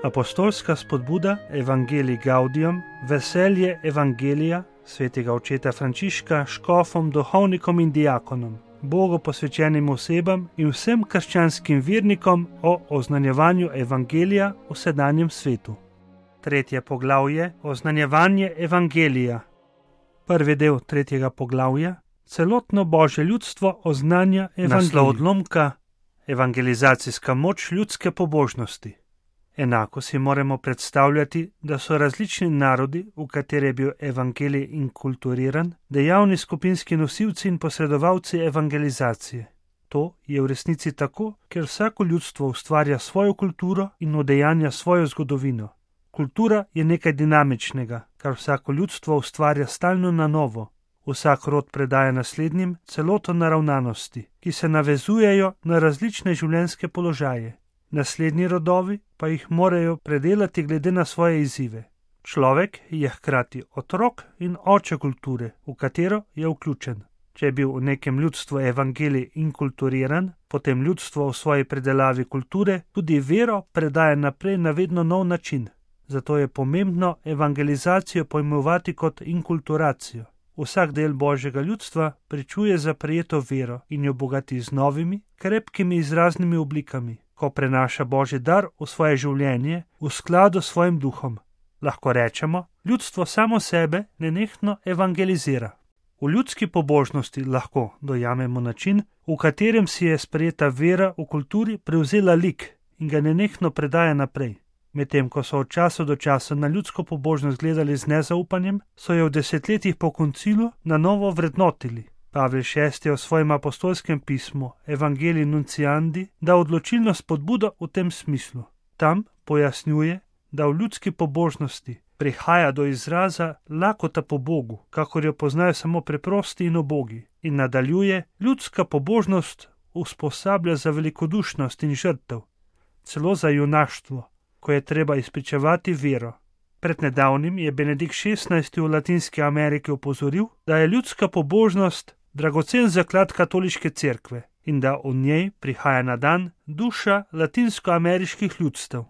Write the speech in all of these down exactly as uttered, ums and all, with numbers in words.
Apostolska spodbuda Evangelii Gaudium, veselje Evangelija svetega očeta Frančiška škofom, duhovnikom in diakonom, Bogu posvečenim osebam in vsem krščanskim vernikom o oznanjevanju Evangelija v sedanjem svetu. Tretje poglavje, oznanjevanje Evangelija. Prvi del tretjega poglavja, celotno Božje ljudstvo oznanja Evangelij. Naslov odlomka, evangelizacijska moč ljudske pobožnosti. Enako si moramo predstavljati, da so različni narodi, v katere je bil evangelij inkulturiran, dejavni skupinski nosilci in posredovalci evangelizacije. To je v resnici tako, ker vsako ljudstvo ustvarja svojo kulturo in udejanja svojo zgodovino. Kultura je nekaj dinamičnega, kar vsako ljudstvo ustvarja stalno na novo. Vsak rod predaja naslednjim celoto naravnanosti, ki se navezujejo na različne življenjske položaje. Naslednji rodovi pa jih morajo predelati glede na svoje izzive. Človek je hkrati otrok in oče kulture, v katero je vključen. Če je bil v nekem ljudstvu evangelij inkulturiran, potem ljudstvo v svoji predelavi kulture tudi vero predaja naprej na vedno nov način. Zato je pomembno evangelizacijo pojmovati kot inkulturacijo. Vsak del Božjega ljudstva pričuje za prejeto vero in jo bogati z novimi, krepkimi izraznimi oblikami, ko prenaša Božji dar v svoje življenje v skladu s svojim duhom. Lahko rečemo, ljudstvo samo sebe nenehno evangelizira. V ljudski pobožnosti lahko dojamemo način, v katerem si je sprejeta vera v kulturi prevzela lik in ga nenehno predaja naprej. Medtem ko so od časa do časa na ljudsko pobožnost gledali z nezaupanjem, so jo v desetletjih po koncilu na novo vrednotili. Pavel šesti je v svojem apostolskem pismu Evangelii Nunciandi dal odločilno spodbudo v tem smislu. Tam pojasnjuje, da v ljudski pobožnosti prihaja do izraza lakota po Bogu, kakor jo poznajo samo preprosti in ubogi, in nadaljuje, ljudska pobožnost usposablja za velikodušnost in žrtev, celo za junaštvo, ko je treba izpričevati vero. Pred nedavnim je Benedikt šestnajsti v Latinski Ameriki opozoril, da je ljudska pobožnost dragocen zaklad katoliške cerkve in da v njej prihaja na dan duša latinskoameriških ljudstev.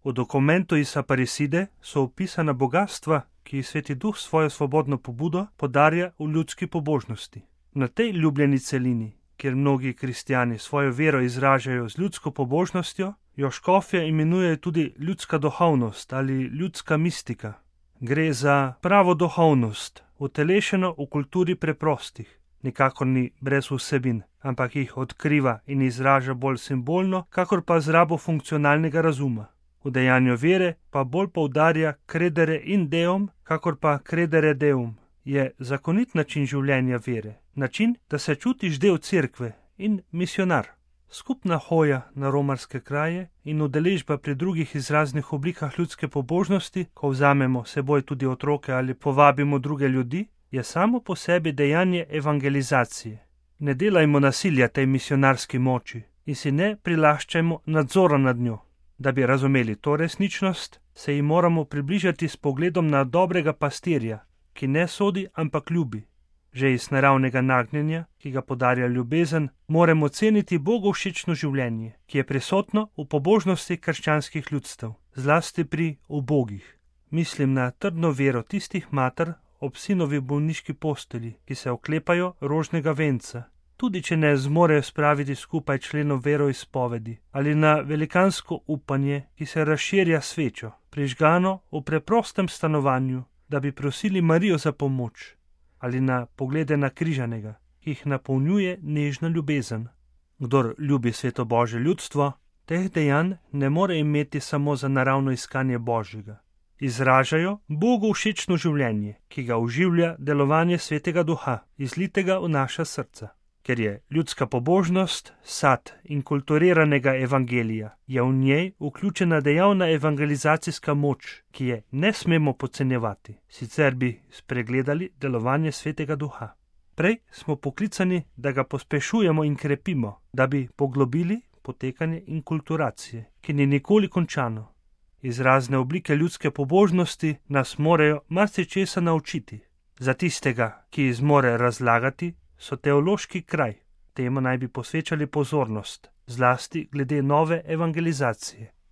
V dokumentu iz Aparecide so opisana bogatstva, ki jih Sveti Duh svojo svobodno pobudo podarja v ljudski pobožnosti. Na tej ljubljeni celini, kjer mnogi kristjani svojo vero izražajo z ljudsko pobožnostjo, jo škofje imenujejo tudi ljudska duhovnost ali ljudska mistika. Gre za pravo duhovnost, utelešeno v kulturi preprostih. Nikakor ni brez vsebin, ampak jih odkriva in izraža bolj simbolno, kakor pa z rabo funkcionalnega razuma. V dejanju vere pa bolj poudarja credere in deum, kakor pa credere deum. Je zakonit način življenja vere, način, da se čutiš del cerkve in misionar. Skupna hoja na romarske kraje in udeležba pri drugih izraznih oblikah ljudske pobožnosti, ko vzamemo seboj tudi otroke ali povabimo druge ljudi, je samo po sebi dejanje evangelizacije. Ne delajmo nasilja tej misionarski moči in si ne prilaščajmo nadzora nad njo. Da bi razumeli to resničnost, se ji moramo približati s pogledom na dobrega pastirja, ki ne sodi, ampak ljubi. Že iz naravnega nagnjenja, ki ga podarja ljubezen, moramo ceniti Bogu všečno življenje, ki je prisotno v pobožnosti krščanskih ljudstev, zlasti pri ubogih. Mislim na trdno vero tistih mater ob sinovi bolniški postelji, ki se oklepajo rožnega venca, tudi če ne zmorejo spraviti skupaj členov veroizpovedi, ali na velikansko upanje, ki se razširja svečo, prižgano v preprostem stanovanju, da bi prosili Marijo za pomoč, ali na poglede na križanega, ki jih napolnjuje nežna ljubezen. Kdor ljubi sveto Božje ljudstvo, teh dejanj ne more imeti samo za naravno iskanje Božjega. Izražajo Bogu všečno življenje, ki ga oživlja delovanje Svetega Duha, izlitega v naša srca. Ker je ljudska pobožnost sad inkulturiranega evangelija, je v njej vključena dejavna evangelizacijska moč, ki je ne smemo podcenjevati, sicer bi spregledali delovanje Svetega Duha. Prej smo poklicani, da ga pospešujemo in krepimo, da bi poglobili potekanje inkulturacije, ki ni nikoli končano. Izrazne oblike ljudske pobožnosti nas morajo marsičesa naučiti. Za tistega, ki zmore razlagati, so teološki kraj. Temu naj bi posvečali pozornost, zlasti glede nove evangelizacije.